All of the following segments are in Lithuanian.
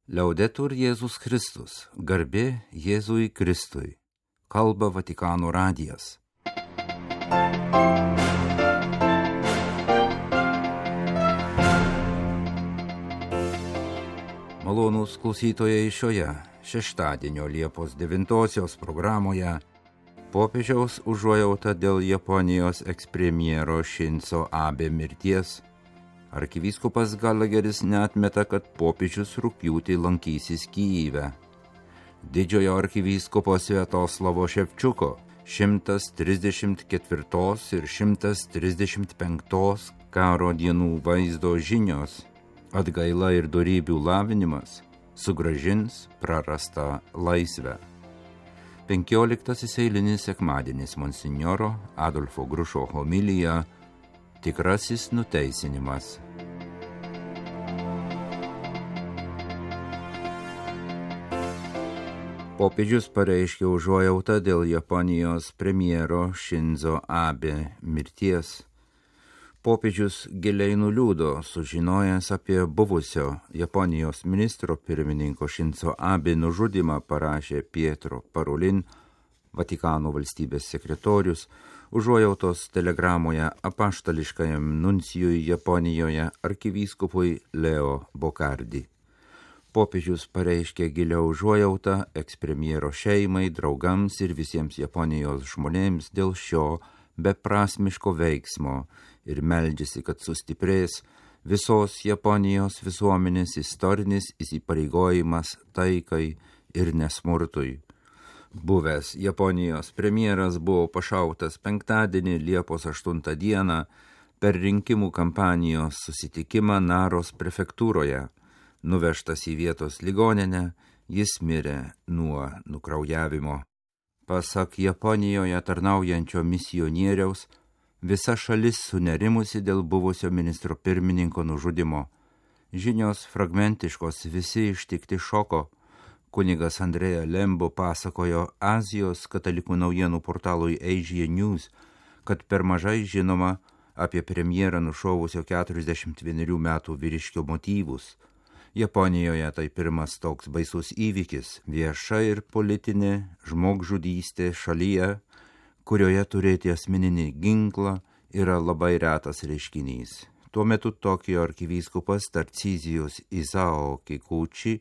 Liaudetur Jėzus Kristus, garbė Jėzui Kristui, kalba Vatikano radijas. Malonūs klausytojai, šioje šeštadienio Liepos 9 programoje popiežiaus užuojauta dėl Japonijos ekspremjero Šinzo Abe mirties. Arkivyskupas Gallagheris neatmeta, kad popiežius rugpjūtį lankysis Kyjive. Didžiojo arkivyskupo Sviatoslavo Ševčiuko 134 ir 135 karo dienų vaizdo žinios, atgaila ir dorybių lavinimas sugrąžins prarastą laisvę. 15 eilinis sekmadienis monsinjoro Adolfo Grušo homilija Tikrasis nuteisinimas. Popiežius pareiškė užuojautą dėl Japonijos premjero Šinzo Abe mirties. Popiežius giliai nuliūdo, sužinojęs apie buvusio Japonijos ministro pirmininko Šinzo Abe nužudymą, parašė Pietro Parolin, Vatikano valstybės sekretorius, užuojautos telegramoje apaštališkajam nuncijui Japonijoje arkivyskupui Leo Bocardi. Popiežius pareiškė gilią užuojautą ekspremjero šeimai, draugams ir visiems Japonijos žmonėms dėl šio beprasmiško veiksmo ir meldžiasi, kad sustiprės visos Japonijos visuomenės istorinis įsipareigojimas taikai ir nesmurtui. Buvęs Japonijos premjeras buvo pašautas penktadienį Liepos 8 dieną per rinkimų kampanijos susitikimą Naros prefektūroje. Nuvežtas į vietos ligoninę, jis mirė nuo nukraujavimo. Pasak Japonijoje tarnaujančio misionieriaus, visa šalis sunerimusi dėl buvusio ministro pirmininko nužudimo. Žinios fragmentiškos, visi ištikti šoko. Kunigas Andrea Lembo pasakojo Azijos katalikų naujienų portalui Asia News, kad per mažai žinoma apie premjerą nušovusio 41 metų vyriškio motyvus. Japonijoje tai pirmas toks baisus įvykis, vieša ir politinė žmogžudystė šalyje, kurioje turėti asmeninį ginklą yra labai retas reiškinys. Tuo metu Tokijo arkivyskupas Tarcizijus Isao Kikuchi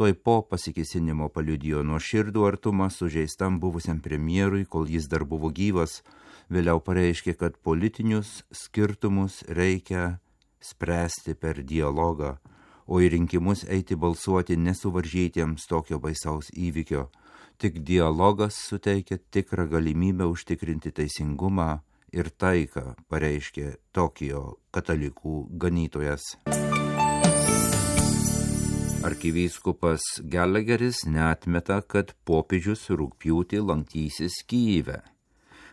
tuoj po pasikėsinimo paliudijo nuoširdų artumą sužeistam buvusiam premjerui, kol jis dar buvo gyvas. Vėliau pareiškė, kad politinius skirtumus reikia spręsti per dialogą, o į rinkimus eiti balsuoti nesuvaržytiems tokio baisaus įvykio. Tik dialogas suteikia tikrą galimybę užtikrinti teisingumą ir taiką, pareiškė Tokijo katalikų ganytojas. Arkivyskupas Gallagheris neatmeta, kad popiežius rugpjūtį lankysis Kyjive.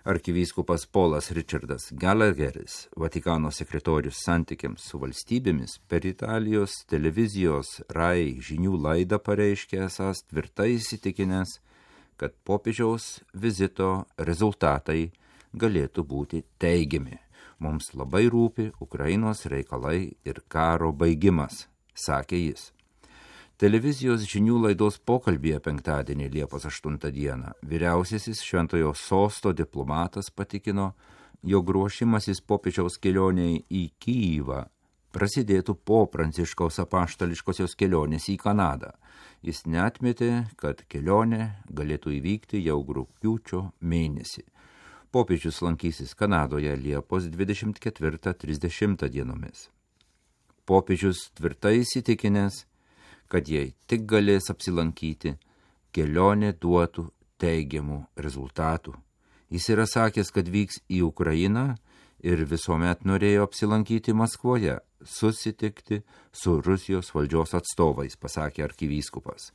Arkivyskupas Polas Richardas Gallagheris, Vatikano sekretorius santykiams su valstybėmis, per Italijos televizijos RAI žinių laidą pareiškė esąs tvirtai įsitikinęs, kad popiežiaus vizito rezultatai galėtų būti teigiami. Mums labai rūpi Ukrainos reikalai ir karo baigimas, sakė jis. Televizijos žinių laidos pokalbyje penktadienį Liepos 8 dieną vyriausiasis Šventojo Sosto diplomatas patikino, jog ruošimasis popiežiaus kelioniai į Kyjivą prasidėtų po Pranciškaus apaštališkosios kelionės į Kanadą. Jis neatmetė, kad kelionė galėtų įvykti jau rugpjūčio mėnesį. Popiežius lankysis Kanadoje Liepos 24-30 dienomis. Popiežius tvirtai įsitikinęs, kad jei tik galės apsilankyti, kelionė duotų teigiamų rezultatų. Jis yra sakęs, kad vyks į Ukrainą ir visuomet norėjo apsilankyti Maskvoje, susitikti su Rusijos valdžios atstovais, pasakė arkivyskupas.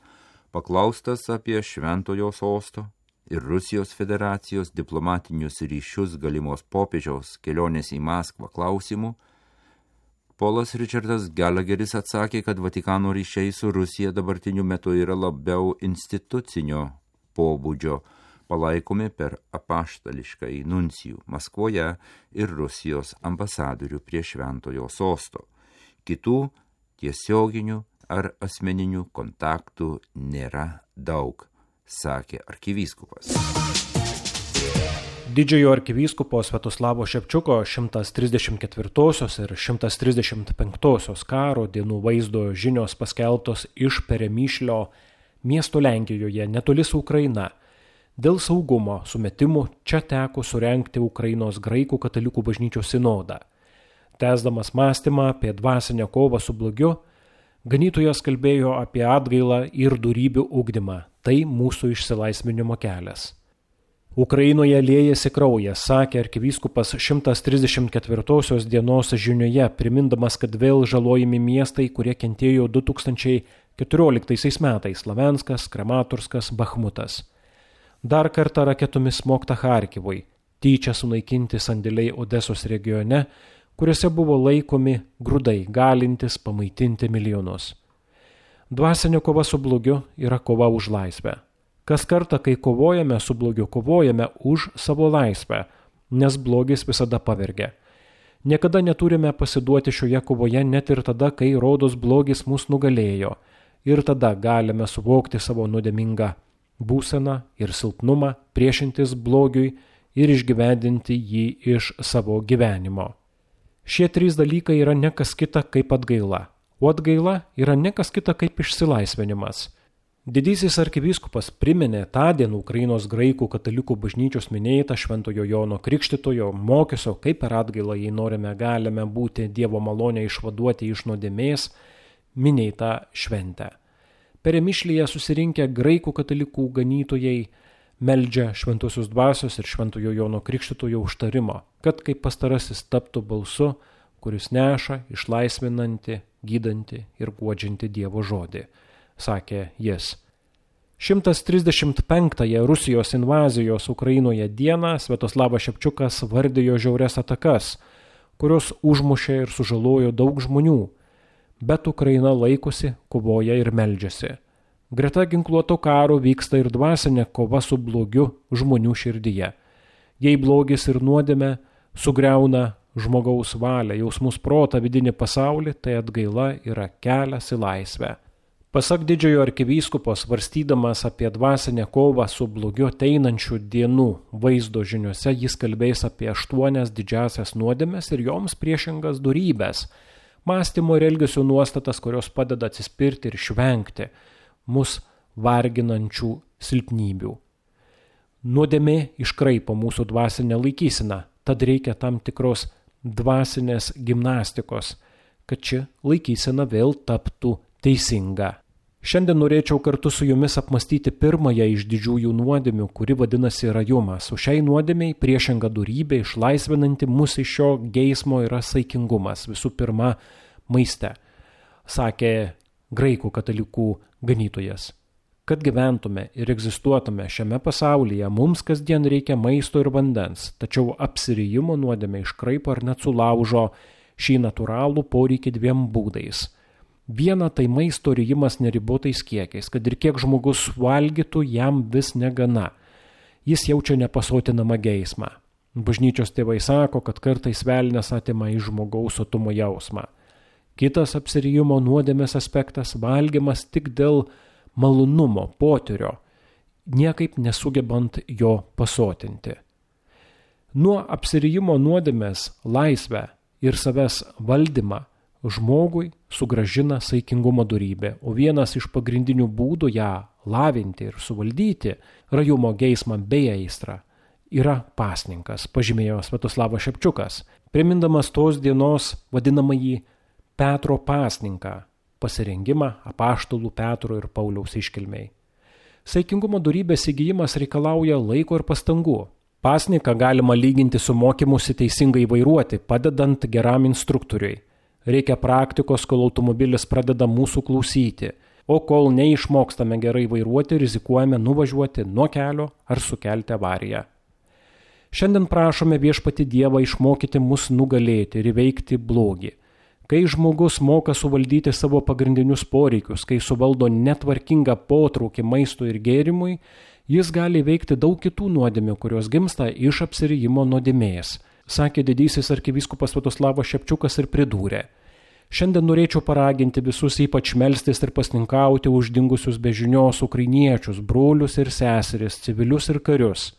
Paklaustas apie Šventojo Sosto ir Rusijos federacijos diplomatinius ryšius galimos popiežiaus kelionės į Maskvą klausimų, Polas Richardas Gallagheris atsakė, kad Vatikano ryšiai su Rusija dabartiniu metu yra labiau institucinio pobūdžio, palaikomi per apaštališkąjį nuncijų Maskvoje ir Rusijos ambasadorių prie Šventojo Sosto. Kitų tiesioginių ar asmeninių kontaktų nėra daug, sakė arkivyskupas. Didžiojo arkivyskupo Sviatoslavo Ševčiuko 134 ir 135 karo dienų vaizdo žinios paskelbtos iš Peremyšlio miesto Lenkijoje netoli su Ukraina. Dėl saugumo sumetimų čia teko surengti Ukrainos graikų katalikų bažnyčios sinodą. Tęsdamas mąstymą apie dvasinę kovą su blogiu, ganytojas kalbėjo apie atgailą ir dorybių ugdymą. Tai mūsų išsilaisvinimo kelias. Ukrainoje liejasi kraujas, sakė arkivyskupas 134 dienos žinioje, primindamas, kad vėl žalojami miestai, kurie kentėjo 2014 metais – Slavenskas, Kramatorskas, Bachmutas. Dar kartą raketomis smogta Charkivui, tyčia sunaikinti sandėliai Odesos regione, kuriuose buvo laikomi grūdai, galintys pamaitinti milijonus. Dvasinė kova su blogiu yra kova už laisvę. Kas kartą, kai kovojame su blogiu, kovojame už savo laisvę, nes blogis visada pavergia. Niekada neturime pasiduoti šioje kovoje net ir tada, kai rodos blogis mus nugalėjo. Ir tada galime suvokti savo nuodėmingą būseną ir silpnumą, priešintis blogiui ir išgyvendinti jį iš savo gyvenimo. Šie trys dalykai yra ne kas kita kaip atgaila, o atgaila yra ne kas kita kaip išsilaisvinimas. Didysis arkivyskupas priminė tądien Ukrainos graikų katalikų bažnyčios minėtą Šventojo Jono Krikštytojo mokesio, kaip per atgailą, jei norime, galime būti Dievo malonę išvaduoti iš nuodėmės, minėtą šventę. Peremyšlyje susirinkę graikų katalikų ganytojai meldžia Šventosios dvasios ir Šventojo Jono Krikštytojo užtarimo, kad kaip pastarasis taptų balsu, kuris neša išlaisvinantį, gydantį ir guodžiantį Dievo žodį, sakė jis. 135-ąją Rusijos invazijos Ukrainoje dieną Sviatoslavas Ševčiukas vardijo žiaurias atakas, kurios užmušė ir sužalojo daug žmonių, bet Ukraina laikosi, kovoja ir meldžiasi. Greta ginkluoto karo vyksta ir dvasinė kova su blogiu žmonių širdyje. Jei blogis ir nuodėmė sugriauna žmogaus valią, jausmus, protą, vidinį pasaulį, tai atgaila yra kelias į laisvę. Pasak didžiojo arkivyskupo, svarstydamas apie dvasinę kovą su blogiu ateinančių dienų vaizdo žiniuose, jis kalbės apie 8 didžiasias nuodėmes ir joms priešingas dorybes, mąstymo ir elgesio nuostatas, kurios padeda atsispirti ir išvengti mus varginančių silpnybių. Nuodėmė iškraipo mūsų dvasinę laikyseną, tad reikia tam tikros dvasinės gimnastikos, kad ši laikysena vėl taptų teisinga. Šiandien norėčiau kartu su jumis apmastyti pirmąją iš didžiųjų nuodėmių, kuri vadinasi rajumas. O šiai nuodėmiai priešinga dorybė, išlaisvinanti mus iš šio geismo, yra saikingumas. Visų pirma, maiste, sakė graikų katalikų ganytojas. Kad gyventume ir egzistuotume šiame pasaulyje, mums kasdien reikia maisto ir vandens, tačiau apsirijimo nuodėmė iškraipo ar net sulaužo šį natūralų poreikį 2 būdais. Viena tai maisto rijimas neribotais kiekiais, kad ir kiek žmogus valgytų, jam vis negana. Jis jaučia nepasotinamą geismą. Bažnyčios tėvai sako, kad kartais velnias atima iš žmogaus sotumo jausmą. Kitas apsirijimo nuodėmės aspektas – valgymas tik dėl malonumo, potyrio, niekaip nesugebant jo pasotinti. Nuo apsirijimo nuodėmės laisvę ir savęs valdymą žmogui sugrąžina saikingumo dorybė, o vienas iš pagrindinių būdų ją lavinti ir suvaldyti, rajumo geismą bei aistrą, yra pasninkas, pažymėjo Sviatoslavas Ševčiukas, primindamas tos dienos vadinamąjį Petro pasninką, pasirengimą apaštalų Petro ir Pauliaus iškilmei. Saikingumo dorybės įgijimas reikalauja laiko ir pastangų. Pasninką galima lyginti su mokymusi teisingai vairuoti, padedant geram instruktoriui. Reikia praktikos, kol automobilis pradeda mūsų klausyti, o kol neišmokstame gerai vairuoti, rizikuojame nuvažiuoti nuo kelio ar sukelti avariją. Šiandien prašome viešpatį Dievą išmokyti mus nugalėti ir įveikti blogį. Kai žmogus moka suvaldyti savo pagrindinius poreikius, kai suvaldo netvarkingą potraukį maistui ir gėrimui, jis gali įveikti daug kitų nuodėmių, kurios gimsta iš apsirijimo nuodėmės, sakė didysis arkivyskupas Sviatoslavas Ševčiukas ir pridūrė. Šiandien norėčiau paraginti visus ypač melstis ir pasninkauti už dingusius be žinios ukrainiečius, brolius ir seseris, civilius ir karius.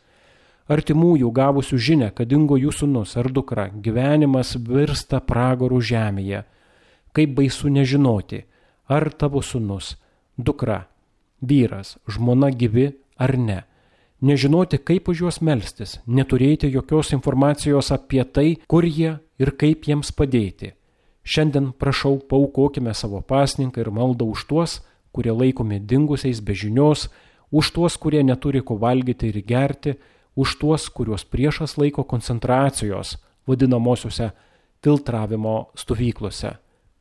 Artimųjų gavusių žinę, kad dingo jų sūnus ar dukra, gyvenimas virsta pragaru žemėje. Kaip baisu nežinoti, ar tavo sūnus, dukra, vyras, žmona gyvi ar ne. Nežinoti, kaip už juos melstis, neturėti jokios informacijos apie tai, kur jie ir kaip jiems padėti. Šiandien prašau, paaukokime savo pasninką ir maldą už tuos, kurie laikomi dingusiais be žinios, už tuos, kurie neturi ko valgyti ir gerti, už tuos, kuriuos priešas laiko koncentracijos, vadinamosiuose filtravimo stovyklose,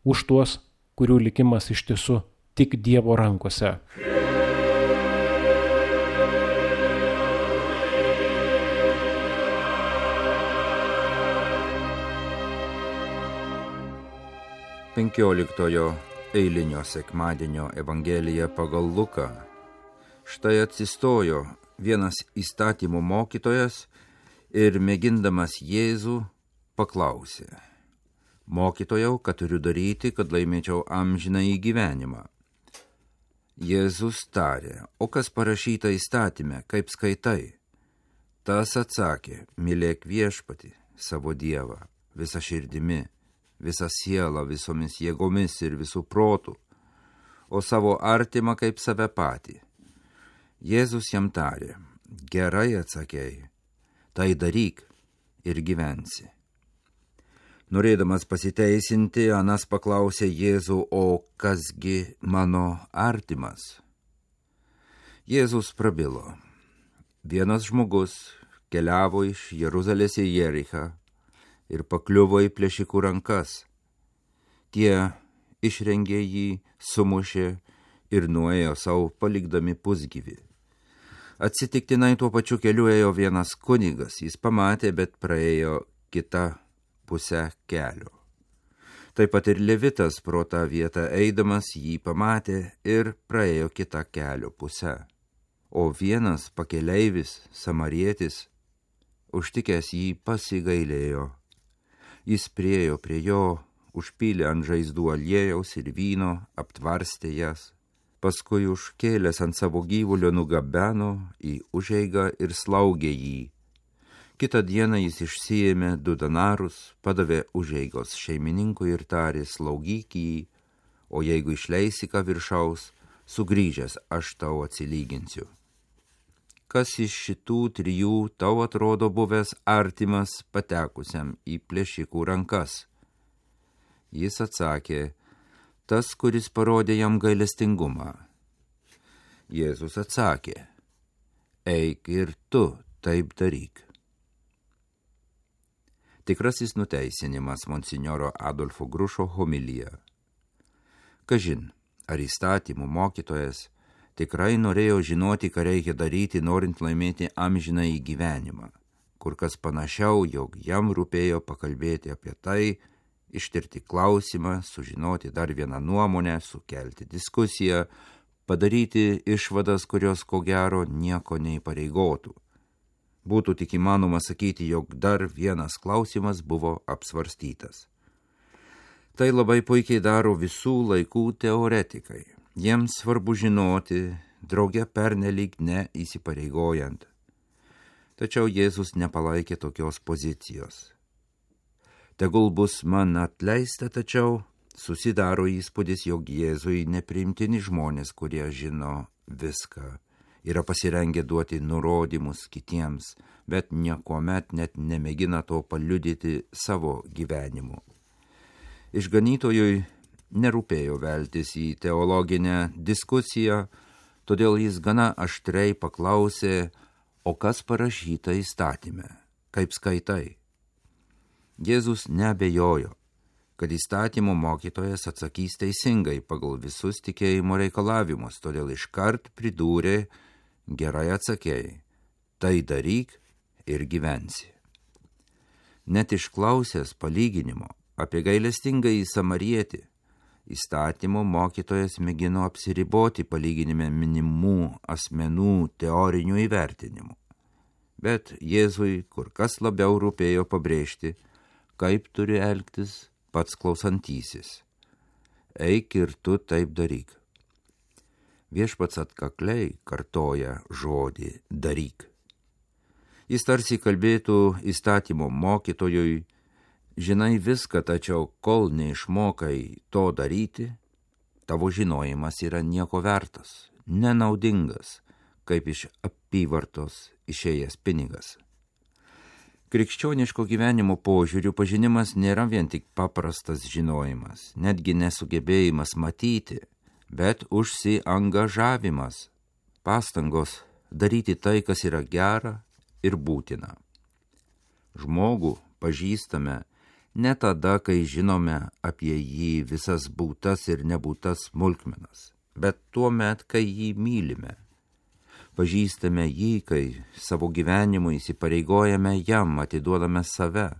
už tuos, kurių likimas iš tiesų tik Dievo rankose. Penkioliktojo eilinio sekmadienio Evangelija pagal Luką. Štai atsistojo vienas įstatymų mokytojas ir mėgindamas Jėzų paklausė: Mokytojau, ką turiu daryti, kad laimėčiau amžinąjį gyvenimą? Jėzus tarė: O kas parašyta įstatyme, kaip skaitai? Tas atsakė: Mylėk viešpatį, savo Dievą, visą širdimi, visą sielą, visomis jėgomis ir visų protų, o savo artimą kaip save patį. Jėzus jam tarė: Gerai atsakei, tai daryk ir gyvensi. Norėdamas pasiteisinti, anas paklausė Jėzų: O kasgi mano artimas? Jėzus prabilo: Vienas žmogus keliavo iš Jeruzalės į Jerichą ir pakliuvo į plėšikų rankas. Tie išrengė jį, sumušė ir nuėjo savo palikdami pusgyvį. Atsitiktinai tuo pačiu keliu ėjo vienas kunigas, jis pamatė, bet praėjo kitą pusę kelio. Taip pat ir Levitas pro tą vietą eidamas jį pamatė ir praėjo kitą kelio pusę. O vienas pakeleivis, samarietis, užtikęs jį pasigailėjo. Jis priėjo prie jo, užpylė ant žaizdų aliejaus ir vyno, aptvarstė jas, paskui užkėlęs ant savo gyvulio nugabeno į užeigą ir slaugė jį. Kitą dieną jis išsiėmė 2 denarus, padavė užeigos šeimininkui ir tarė: Slaugyk jį, o jeigu išleisi ką viršaus, sugrįžęs aš tau atsilyginsiu. Kas iš šitų 3 tau atrodo buvęs artimas patekusiam į plėšikų rankas? Jis atsakė: Tas, kuris parodė jam gailestingumą. Jėzus atsakė: Eik ir tu taip daryk. Tikrasis nuteisinimas monsinjoro Adolfo Grušo homilija. Kažin, ar įstatymų mokytojas tikrai norėjo žinoti, ką reikia daryti, norint laimėti amžinąjį gyvenimą. Kur kas panašiau, jog jam rūpėjo pakalbėti apie tai, ištirti klausimą, sužinoti dar vieną nuomonę, sukelti diskusiją, padaryti išvadas, kurios ko gero nieko neįpareigotų. Būtų tik įmanoma sakyti, jog dar vienas klausimas buvo apsvarstytas. Tai labai puikiai daro visų laikų teoretikai. Jiems svarbu žinoti, drauge pernelyg neįsipareigojant. Tačiau Jėzus nepalaikė tokios pozicijos. Tegul bus man atleista, tačiau susidaro įspūdis, jog Jėzui nepriimtini žmonės, kurie žino viską, yra pasirengę duoti nurodymus kitiems, bet niekuomet net nemėgina to paliudyti savo gyvenimu. Išganytojui nerūpėjo veltis į teologinę diskusiją, todėl jis gana aštriai paklausė: O kas parašyta įstatyme, kaip skaitai? Jėzus neabejojo, kad įstatymo mokytojas atsakys teisingai pagal visus tikėjimo reikalavimus, todėl iškart pridūrė: Gerai atsakei, tai daryk ir gyvensi. Net išklausęs palyginimo apie gailestingąjį samarietį, įstatymo mokytojas mėgino apsiriboti palyginime minimų asmenų teorinių įvertinimų. Bet Jėzui kur kas labiau rūpėjo pabrėžti, kaip turi elgtis pats klausantysis. eik ir tu taip daryk. Viešpats atkakliai kartoja žodį daryk. Jis tarsi kalbėtų įstatymo mokytojui, žinai viską, tačiau kol neišmokai to daryti, tavo žinojimas yra nieko vertas, nenaudingas, kaip iš apyvartos išėjęs pinigas. Krikščioniško gyvenimo požiūrių pažinimas nėra vien tik paprastas žinojimas, netgi nesugebėjimas matyti, bet užsiangažavimas, pastangos daryti tai, kas yra gera ir būtina. Žmogų pažįstame ne tada, kai žinome apie jį visas būtas ir nebūtas smulkmenas, bet tuo met, kai jį mylime. Pažįstame jį, kai savo gyvenimu įsipareigojame jam, atiduodame save.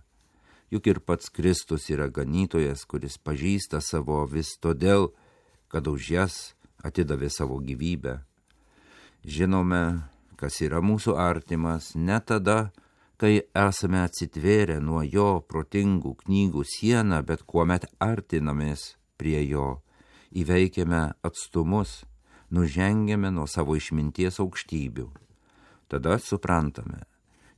Juk ir pats Kristus yra ganytojas, kuris pažįsta savo vis todėl, kad už jas atidavė savo gyvybę. Žinome, kas yra mūsų artimas, ne tada, kai esame atsitvėrę nuo jo protingų knygų sieną, bet kuomet artinamės prie jo, įveikiame atstumus, nužengiame nuo savo išminties aukštybių. Tada suprantame,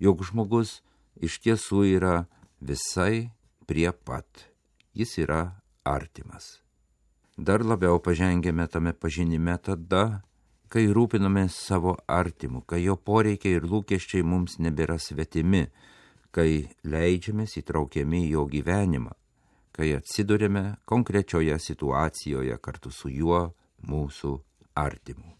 jog žmogus iš tiesų yra visai prie pat. Jis yra artimas. Dar labiau pažengėme tame pažinime tada, kai rūpinamės savo artimu, kai jo poreikiai ir lūkesčiai mums nebėra svetimi, kai leidžiamės įtraukiami į jo gyvenimą, kai atsidurėme konkrečioje situacijoje kartu su juo, mūsų artimu.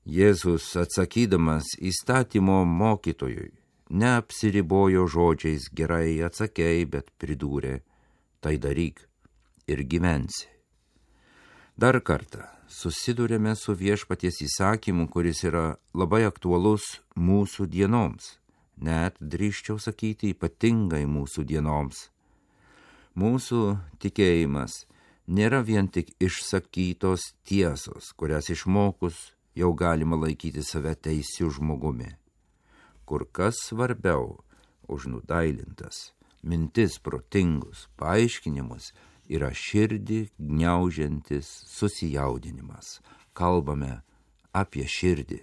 Jėzus, atsakydamas įstatymo mokytojui, neapsiribojo žodžiais gerai atsakei, bet pridūrė, tai daryk ir gyvensi. Dar kartą susidurėme su viešpaties įsakymu, kuris yra labai aktualus mūsų dienoms, net drįsčiau sakyti ypatingai mūsų dienoms. Mūsų tikėjimas nėra vien tik išsakytos tiesos, kurias išmokus jau galima laikyti save teisiu žmogumi. Kur kas svarbiau už nudailintas mintis protingus paaiškinimus yra širdį gniaužiantis susijaudinimas. Kalbame apie širdį.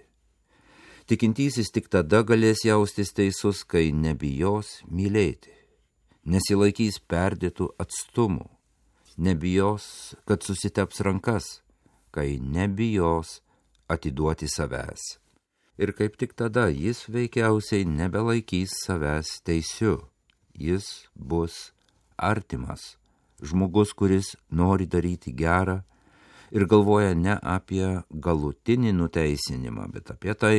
Tikintysis tik tada galės jaustis teisus, kai nebijos mylėti, nesilaikys perdėtų atstumų, nebijos, kad susiteps rankas, kai nebijos atiduoti savęs. Ir kaip tik tada jis veikiausiai nebelaikys savęs teisiu. Jis bus artimas. Žmogus, kuris nori daryti gerą ir galvoja ne apie galutinį nuteisinimą, bet apie tai,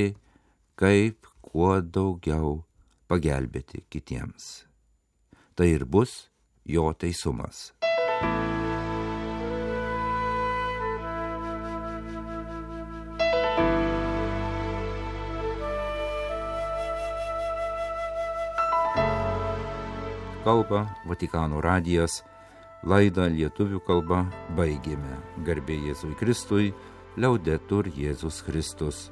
kaip kuo daugiau pagelbėti kitiems. Tai ir bus jo teisumas. Kalba Vatikano radijas. Laidą lietuvių kalba baigėme. Garbė Jėzui Kristui, liaudetur Jėzus Kristus.